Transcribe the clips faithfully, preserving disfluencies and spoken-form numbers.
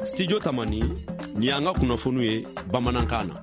Studio Tamani, ni y'an ka kunnafoniw ye bamanankan na.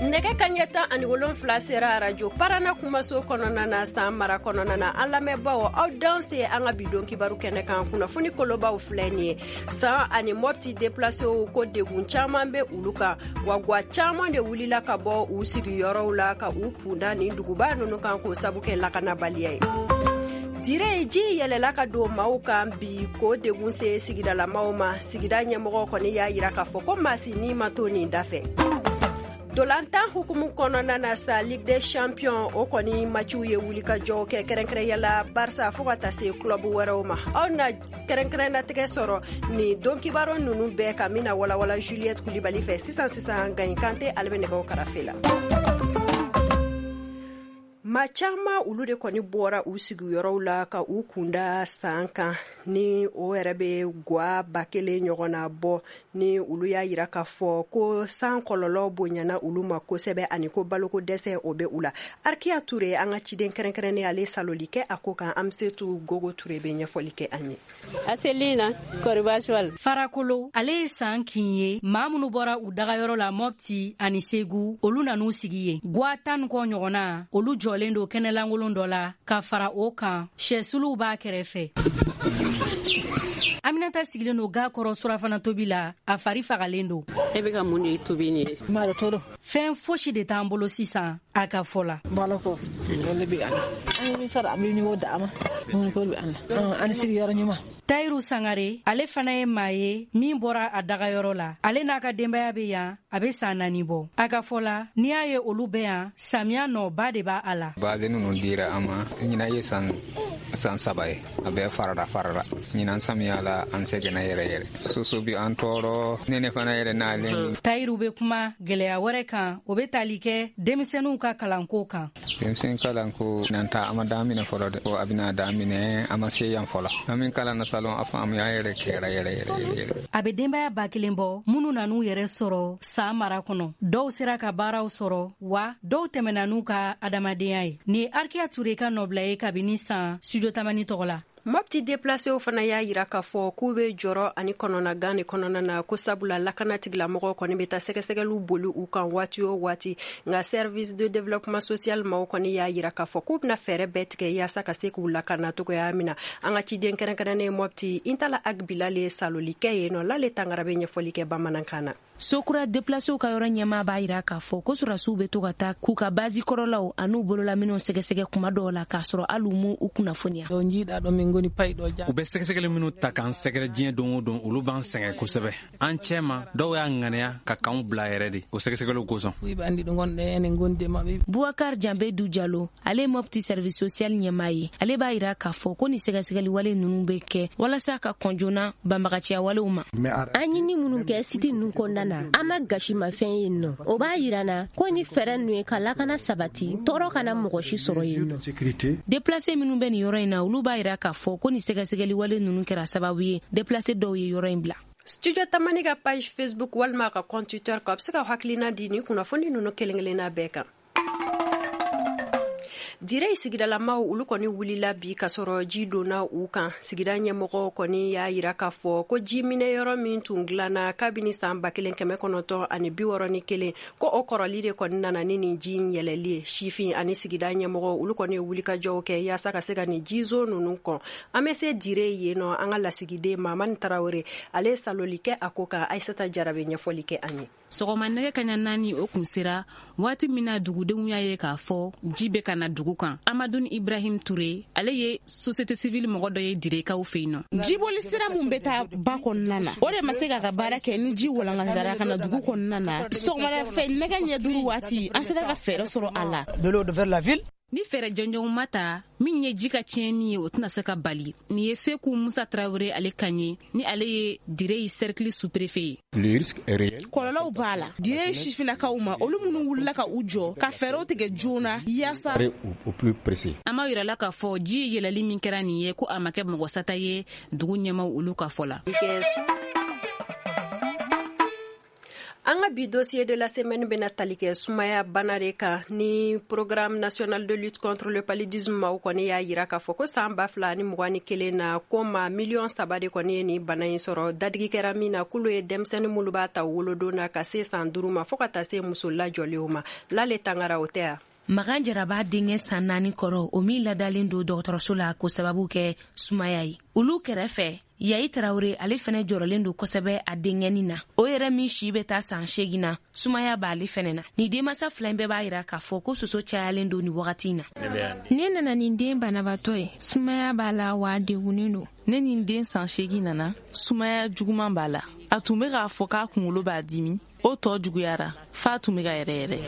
Nɛgɛ kaɲɛ tan ani wolonfila sera arajo Parana kumaso kɔnɔna na San mara kɔnɔna na. An lamɛnbaaw, aw danse an ka bidon kibaru kɛnɛ kan. Kunnafoni kolobaw filɛ nin ye. San ani Mopti déplacéw ko degun caman bɛ olu kan, wa gwa caman de wulila ka bɔ u sigiyɔrɔw la ka u kunda nin duguba ninnu kan k'o sabu kɛ lakanabaliya ye. Dire ji yɛlɛla ka don maaw kan bi k'o degun se sigidalamaw ma. Sigida ɲɛmɔgɔ kɔni y'a yira k'a fɔ ko maa si ni ma to nin da fɛ. Dolantan hukumu kɔnɔna na sa, Ligue des Champions o kɔni maciw ye wulikajɔw kɛ, kɛrɛnkɛrɛnya Barça fo ka taa se club wɛrɛw ma. Aw na kɛrɛnkɛrɛnnatigɛ sɔrɔ nin don kibaru ninnu bɛɛ ka min na walawala Juliette Kulibali fɛ sisan sisan. Gagne Kante, ale bɛ nɛgɛw karafe la. Maa caman olu de kɔni bɔra u sigiyɔrɔw la ka u kunda San kan, ni o yɛrɛ bɛ gwa ba kelen ɲɔgɔn na bɔ, ni olu y'a yira k'a fɔ ko san kɔlɔlɔ bonyana olu ma kosɛbɛ ani ko baloko dɛsɛ o bɛ u la. Arkiya Ture, an ka ciden kɛrɛnkɛrɛnnen, ale saloli kɛ a ko kan. Amsetu Gogo Ture bɛ ɲɛfɔli kɛ an ye. Aselina Koribasual. Farakolo, ale ye San kin ye. Maa minnu bɔra u dagayɔrɔ la Mopti ani Segu, olu nan'u sigi yen. Gwa tan kɔ ɲɔgɔnna, olu jɔlen don kɛnɛlankolon dɔ la. Ka fara o kan, sɛsuluw b'a kɛrɛfɛ. Aminata sigilen don ga kɔrɔ surafana tobi la, a fari fagalen don. E bɛ ka mun de tobi nin ye? Fɛn fosi de t'an bolo sisan, a ka fɔ la. Tayiru Sangare, ale fana ye maa ye min bɔra a dagayɔrɔ la. Ale n'a ka denbaya bɛ yan a bɛ san naani bɔ. A ka fɔ la, n'i y'a ye olu bɛ yan, samiya nɔba de b'a a la. Baze ninnu dira an ma, ɲinan ye san san saba ye, a bɛɛ farala farala. Ɲinan samiya la, an sɛgɛnna yɛrɛ yɛrɛ. Soso bi an tɔɔrɔ, nɛnɛ fana yɛrɛ n'ale. Tayiru bɛ kuma gɛlɛya wɛrɛ kan, o bɛ tali kɛ denmisɛnninw ka kalanko kan. Denmisɛn kalanko nan ta a ma daminɛ fɔlɔ dɛ, a bɛna daminɛ, a ma se yan fɔlɔ. An min kalan na salon, a faamuya yɛrɛ kɛra yɛrɛ yɛrɛ yɛrɛ. A bɛ denbaya ba kelen bɔ minnu nan'u yɛrɛ sɔrɔ San mara kɔnɔ. Dɔw sera ka baaraw sɔrɔ, wa dɔw tɛmɛna n'u ka adamadenya ye. Nin ye Arkiya Ture ka nɔbila ye kabini San Studio Tamani tɔgɔ la. Mopti déplacéw fana y'a yira k'a fɔ k'u bɛ jɔrɔ ani kɔnɔnagan de kɔnɔna na, ko sabula lakana tigilamɔgɔw kɔni bɛ taa sɛgɛsɛgɛliw boli u kan waati o waati. Nka service de développement social maaw kɔni y'a yira k'a fɔ k'u bɛna fɛɛrɛ bɛɛ tigɛ yaasa ka se k'u lakana cogoya min na. An ka ciden kɛrɛnkɛrɛnnen Mopti, Intala Agbilale, saloli kɛ yen nɔ. Lale Tangara bɛ ɲɛfɔli kɛ bamanankan na. Sokura déplacéw ka yɔrɔ ɲɛmaa b'a yira k'a fɔ ko sɔrɔdasiw bɛ to ka taa k'u ka bazi kɔrɔlaw an'u bololaminɛw sɛgɛsɛgɛ kuma dɔw la, k'a sɔrɔ hali u m'u u kunnafoniya. U bɛ sɛgɛsɛgɛli minnu ta k'an sɛgɛrɛ diɲɛ don o don, olu b'an sɛgɛn kosɛbɛ. An cɛ ma dɔw y'a ŋaniya ka kanw bila yɛrɛ de o sɛgɛsɛgɛliw kosɔn. Boubacar Janbe Du Jalo, ale ye Mopti service social ɲɛmaa ye. Ale b'a yira k'a fɔ ko nin sɛgɛsɛgɛli wale ninnu bɛ kɛ walasa ka kɔn joona banbagaciya walew ma. An ɲini minnu kɛ siti ninnu kɔnɔna na, an ma gasimafɛn yen nɔ, o b'a yira na ko ni fɛɛrɛ ninnu ye ka lakana sabati, tɔɔrɔ kana mɔgɔ si sɔrɔ yen nɔ. Déplacé minnu bɛ nin yɔrɔ in na, olu b'a yira k'a fɔ ko nin sɛgɛsɛgɛli wale ninnu kɛra sababu ye déplacé dɔw ye yɔrɔ in bila. Studio Tamani ka page Facebook walima ka compte Twitter kan, a bɛ se ka hakilina di nin kunnafoni ninnu kelen kelenna bɛɛ kan. Dire sigidalamaw olu kɔni wulila bi ka sɔrɔ ji donna u kan. Sigida ɲɛmɔgɔ kɔni y'a yira k'a fɔ ko ji minɛ yɔrɔ min tun dilanna kabini san ba kelen kɛmɛ kɔnɔntɔn ani bi wɔɔrɔ ni kelen, ko o kɔrɔli de kɔni nana ni nin ji in yɛlɛli ye. Sifin ani sigida ɲɛmɔgɔ olu kɔni ye wulikajɔw kɛ yaasa ka se ka nin jizo ninnu kɔn. An bɛ se Dire yen nɔ, an ka lasigiden Mamani Tarawele, ale ye saloli kɛ a ko kan. Ayisata Jara bɛ ɲɛfɔli kɛ an ye. Sɔgɔma nɛgɛ kaɲa naani o kun sera waati min na dugudenw y'a ye k'a fɔ ji bɛ ka na dugu kan. Amadou Ibrahim Touré, ale ye société civile mɔgɔ dɔ ye Direkaw fɛ yen nɔ. Jiboli sira mun bɛ taa ba kɔnɔna na, o de ma se k'a ka baara kɛ ni ji walankatara ka na dugu kɔnɔna na. Sɔgɔmada fɛ nɛgɛ ɲɛ duuru waati, an sera ka fɛɛrɛ sɔrɔ a la. Ni fɛɛrɛ jɔnjɔnw ma ta, min ye ji ka tiɲɛni ye, o tɛna se ka bali. Nin ye Seku Musa Tarawele ale kan ye, ni ale ye Dire cercle sous-préfet ye. Kɔlɔlɔw b'a la Dire sifinnakaw ma, olu minnu wulila ka u jɔ ka fɛɛrɛw tigɛ joona yaasa. An b'a yira la k'a fɔ ji yɛlɛli min kɛra nin ye, ko a ma kɛ mɔgɔ sata ye dugu ɲɛmaw olu ka fɔ la. An ka bi dossier de la semaine bɛna tali kɛ sumaya bana de kan. Ni programme national de lutte contre le paludisme maaw kɔni y'a yira k'a fɔ ko san ba fila ni mugan ni kelen na, ko maa miliyɔn saba de kɔni ye nin bana in sɔrɔ. Dadigi kɛra min na, k'olu ye denmisɛnnin minnu b'a ta wolodon na ka se san duuru ma, fo ka taa se muso lajɔlenw ma. Lale Tangara, o tɛ yan. Magan Jaraba denkɛ san naani kɔrɔ, o min ladalen don dɔgɔtɔrɔso la k'o sababu kɛ sumaya ye. Olu kɛrɛfɛ, Yayi Tarawele, ale fɛnɛ jɔrɔlen don kosɛbɛ a denkɛnin na, o yɛrɛ min si bɛ taa san seegin na, sumaya b'ale fɛnɛ na. Ni denmansa fila in bɛɛ b'a yira k'a fɔ ko soso cayalen don nin wagati in na. Ne nana nin den banabaatɔ ye, sumaya b'a la wa a degunnen don. Ne ni den san seegin nana, sumaya juguman b'a la. A tun bɛ k'a fɔ k'a kunkolo b'a dimi, o tɔ juguyara f'a tun bɛ ka yɛrɛ yɛrɛ.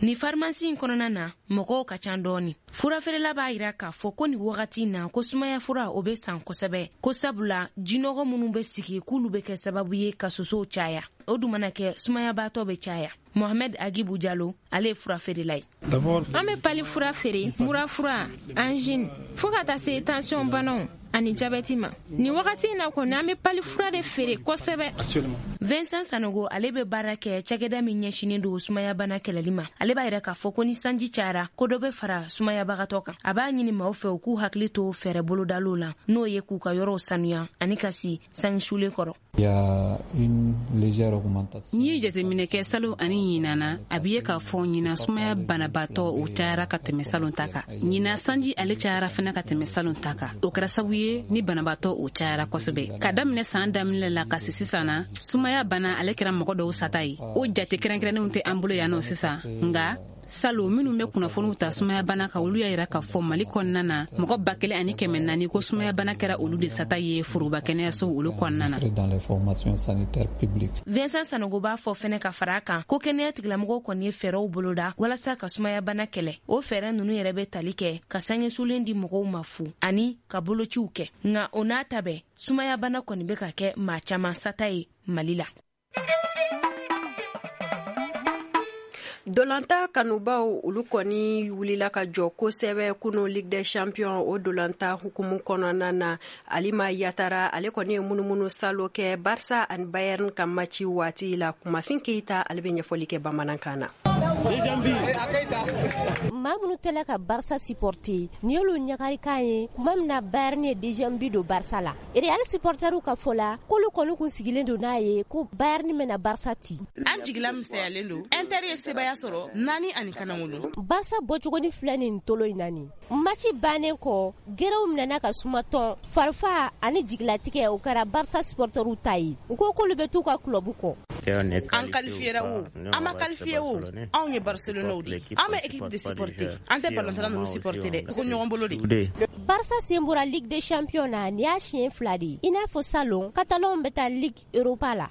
Ni farimasi in kɔnɔna na, mɔgɔw ka ca dɔɔni. Furafeerela b'a yira k'a fɔ ko nin wagati na, ko sumaya fura o bɛ san kosɛbɛ, ko sabula jinɔgɔ minnu bɛ sigi k'olu bɛ kɛ sababu ye ka sosow caya. O dun mana kɛ, sumayabaatɔ bɛ caya. Mohamed Agibu Jalo, ale ye furafeerela ye. An bɛ pali fura feere, mura fura, angine, fo ka taa se tension banaw ani jabɛti ma. Nin wagati in na kɔni, an bɛ pali fura de feere kosɛbɛ. Vincent Sanogo, ale bɛ baara kɛ cakɛda min ɲɛsinnen don sumayabana kɛlɛli ma. Ale b'a yira k'a fɔ ko ni sanji cayara, ko dɔ bɛ fara sumayabagatɔ kan. A b'a ɲini maaw fɛ u k'u hakili to fɛɛrɛ bolodaliw la, n'o ye k'u ka yɔrɔw sanuya ani ka si sange sulen kɔrɔ. N'i ye jateminɛ kɛ salon ani ɲinan na, a bɛ ye k'a fɔ ɲinan sumaya banabaatɔ o cayara ka tɛmɛ salon ta kan. Ɲinan sanji ale cayara fana ka tɛmɛ salon ta kan. O kɛra sababu ye ni banabaatɔ o cayara kosɛbɛ. Ka daminɛ san daminɛ la ka se sisan na, sumaya bana ale kɛra mɔgɔ dɔw sata ye. O jate kɛrɛnkɛrɛnnenw tɛ an bolo yan nɔ sisan, nka salon minnu bɛ kunnafoniw ta sumaya bana kan, olu y'a yira k'a fɔ Mali kɔnɔna na, mɔgɔ ba kelen ani kɛmɛ naani ko sumaya bana kɛra olu de sata ye foroba kɛnɛyaso olu kɔnɔna na. Vincent Sanogo b'a fɔ fɛnɛ ka fara a kan ko kɛnɛya tigilamɔgɔw kɔni ye fɛɛrɛw boloda walasa ka sumaya bana kɛlɛ. O fɛɛrɛ ninnu yɛrɛ bɛ tali kɛ ka sangesulen di mɔgɔw ma fu ani ka bolociw kɛ. Nka o n'a ta bɛɛ, sumaya bana kɔni bɛ ka kɛ maa caman sata ye Mali la. Dolanta kanubaw, olu kɔni wulila ka jɔ kosɛbɛ kunu Ligue des Champions o dolanta hukumu kɔnɔna na. Alima Yatara, ale kɔni ye munumunu salo kɛ Barça ani Bayern ka match waati la. Kumafin Keita, ale bɛ ɲɛfɔli kɛ bamanankan na. Maa minnu tɛla ka Barça supporter, nin y'olu ɲagarikan ye tuma min na Bayern ye deuxième but don Barça la. Real supporteriw ka fɔ la, k'olu kɔni kun sigilen don n'a ye ko Bayern bɛna Barça ci. An jigila misɛnyalen don. Inter ye sebaya sɔrɔ naani ani kanangolo. Barça bɔcogoni filɛ nin tolo in na nin. Match bannen kɔ, gerew minɛna ka suma tɔn, farifa ani jigilatigɛ o kɛra Barça supporteriw ta ye. U ko k'olu bɛ t'u ka club kɔ. An qualifiera o, an ma qualifié o, anw ye Barcelone de ye. An bɛ équipe de supporter, an tɛ ballon ninnu supporter dɛ, ko ɲɔgɔn bolo de. Barça sen bɔra Ligue des Champions na, nin y'a siɲɛ fila de ye. I n'a fɔ salon, Catalans bɛ taa Ligue Europa la.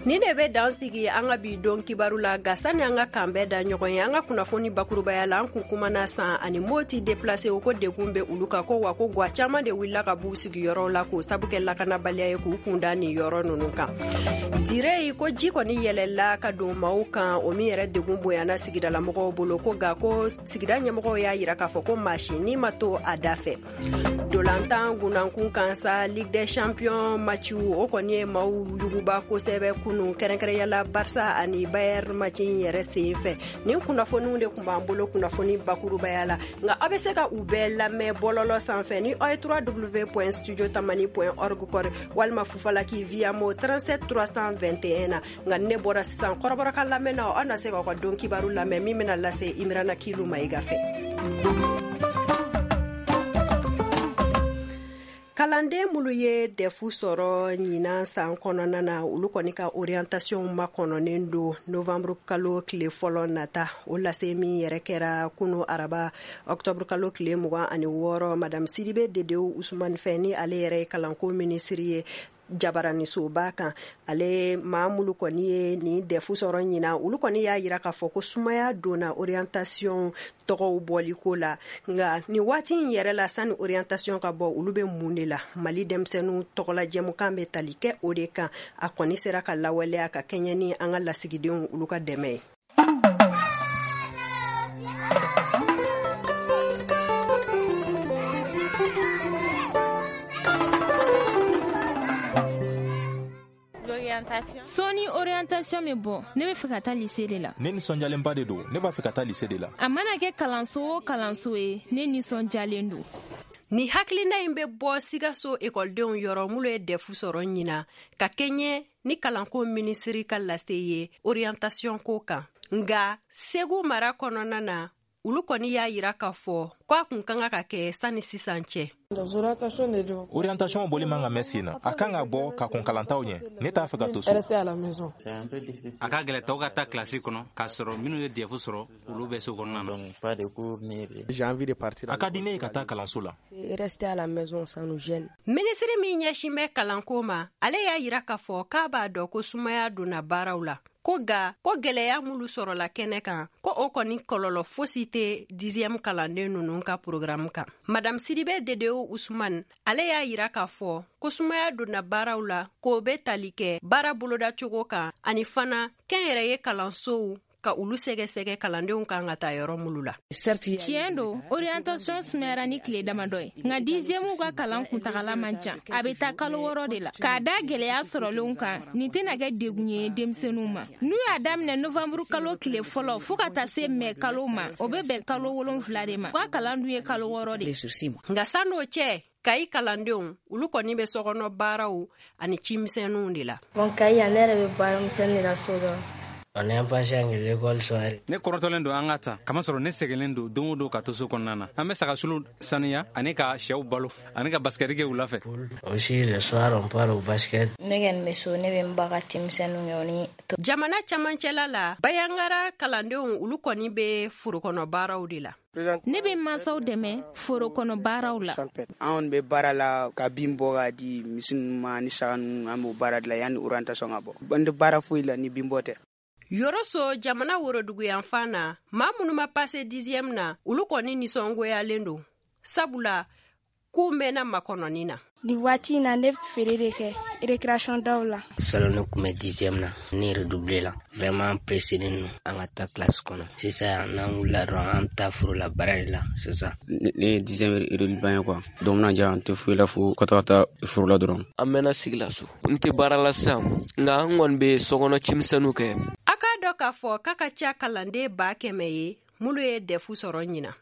Ni de bɛ dan sigi an ka bi don kibaru la. Nka sani an ka kan bɛɛ da ɲɔgɔn ye, an ka kunnafoni bakurubaya la, an kun kumana san ani Moti déplacé o ko degun bɛ olu kan, ko wa ko gwa caman de wulila ka b'u sigiyɔrɔw la k'o sabu kɛ lakanabaliya ye k'u kunda nin yɔrɔ ninnu kan. Dire yi ko ji kɔni yɛlɛla ka don maaw kan, o min yɛrɛ degun bonyana sigidalamɔgɔw bolo, ko nka ko sigida ɲɛmɔgɔw y'a yira k'a fɔ ko maa si ni ma to a da fɛ. Dolantan gunankun kan sa, Ligue des Champions match o kɔni ye maaw yuguba kosɛbɛ kunu, kɛrɛnkɛrɛnyala Barça ani Bayern match in yɛrɛ sen fɛ. Nin kunnafoniw de tun b'an bolo kunnafoni bakurubaya la, nka aw bɛ se ka u bɛɛ lamɛn bɔlɔlɔ sanfɛ ni aw ye w w w point studio tamani point org kɔri walima Fufalaki via mo trente-sept trois cent vingt et un na. Nka ne bɔra sisan kɔrɔbɔrɔkan lamɛn na, aw na se k'aw ka don kibaru lamɛn min bɛna lase Imrana Kilu Mayiga fɛ. Kalanden minnu ye dɛfu sɔrɔ ɲinan san kɔnɔna na, olu kɔni ka orientation makɔnɔnen don novembre kalo tile fɔlɔ nata. O lase min yɛrɛ kɛra kunu araba octobre kalo tile mugan ani wɔɔrɔ, madame Sidibe Dedew Usumani fɛ, ni ale yɛrɛ ye kalanko minisiri ye jabaranisoba kan. Ale maa minnu kɔni ye nin dɛfu sɔrɔ ɲinan, olu kɔni y'a yira k'a fɔ ko sumaya donna orientation tɔgɔw bɔliko la. Nka nin waati in yɛrɛ la, sani orientation ka bɔ, olu bɛ mun de la? Mali denmisɛnninw tɔgɔla jɛmukan bɛ tali kɛ o de kan. A kɔni sera ka lawaleya ka kɛɲɛ ni an ka lasigidenw olu ka dɛmɛ ye. Sɔɔni orientation bɛ bɔ, ne bɛ fɛ ka taa lycée de la. Ne nisɔndiyalenba de don, ne b'a fɛ ka taa lycée de la. A mana kɛ kalanso o kalanso ye, ne nisɔndiyalen don. Ni hakilina in bɛ bɔ Sikaso ekɔlidenw yɔrɔ minnu ye D E F sɔrɔ ɲina ka kɛɲɛ ni kalanko minisiri ka lase ye orientation ko kan. Nka Segu mara kɔnɔna na, olu kɔni y'a yira k'a fɔ ko a kun kan ka kɛ sanni sisan cɛ. Orientation bɔli man ka mɛn sen na, a kan ka bɔ ka kɔn kalantaw ɲɛ. Ne t'a fɛ ka to so. A ka gɛlɛ tɔw ka taa kilasi kɔnɔ k'a sɔrɔ minnu ye D E F sɔrɔ, olu bɛ so kɔnɔna na. A ka di ne ye ka taa kalanso la. Minisiri min ɲɛsin bɛ kalanko ma, ale y'a yira k'a fɔ k'a b'a dɔn ko sumaya donna baaraw la, ko ga ko gwɛlɛya minnu sɔrɔla kɛnɛ kan, ko o kɔni kɔlɔlɔ fosi tɛ dixième kalanden ninnu ka programme kan. Madame Sidibe Dedewo Usman, ale y'a yira k'a fɔ ko sumaya donna baaraw la, k'o bɛ tali kɛ baara bolodacogo kan, ani fana kɛnyɛrɛye kalansow ka olu sɛgɛsɛgɛ kalandenw kan ka taa yɔrɔ minnu la. Tiɲɛ don, orientation sumayara ni tile damadɔ ye, nka dixième ka kalan kuntagala man jan, a bɛ taa kalo wɔɔrɔ de la. K'a da gɛlɛya sɔrɔlenw kan, nin tɛna kɛ degun ye denmisɛnninw ma. N'u y'a daminɛ novanburu kalo tile fɔlɔ fɔɔ ka taa se mɛ kalo ma, o bɛ bɛn kalo wolonfila de ma. U ka kalan dun ye kalo wɔɔrɔ de. Nka san'o cɛ, Kayi kalandenw, olu kɔni bɛ sokɔnɔ baaraw ani cimisɛnninw de la. Bon, Kayi yan, ne yɛrɛ bɛ baara misɛnnin de la so dɔrɔn. On est impatient que l'école soit. Ne kɔrɔtɔlen don an ka ta, kamasɔrɔ ne sɛgɛnlen don don o don ka to so kɔnɔna na. An bɛ sagasulu saniya ani ka sɛw balo ani ka basikɛti kɛ wula fɛ. Aussi le soir, on part au basket. Ne kɔni bɛ so, ne bɛ n ba ka cimisɛnninw kɛ o ni. Jamana camancɛla la, Bayangara kalandenw, olu kɔni bɛ forokɔnɔ baaraw de la. Ne bɛ mansaw dɛmɛ foro kɔnɔ baaraw la. Anw bɛ baara la ka bin bɔ ka di misi ninnu ma ni saga ninnu. An b'o baara de la yanni orientation ka bɔ. An tɛ baara foyi la ni bin bɔ tɛ. Yɔrɔso jamana woroduguyanfan na, maa minnu ma passer dixième na, olu kɔni nisɔngoyalen don, sabula k'u mɛnna makɔnɔni na. Nin waati in na, ne feere de kɛ récréation daw la. Salon, ne kun bɛ dixième na, ne redoublé la. Vraiment, an pressé don an ka taa classe kɔnɔ sisan. N'an wulila dɔrɔn, an bɛ taa foro la baara de la sisan. Ne ye dixième redoublant ye quoi, donc bɛna diya an tɛ foyi la fo ka taga taa foro la dɔrɔn. An mɛnna sigi la so, n tɛ baara la sisan, nka an kɔni bɛ sokɔnɔ cimisɛnninw kɛ. A k'a dɔn k'a fɔ k'a ka ca kalanden ba kɛmɛ ye minnu ye D E F sɔrɔ ɲina.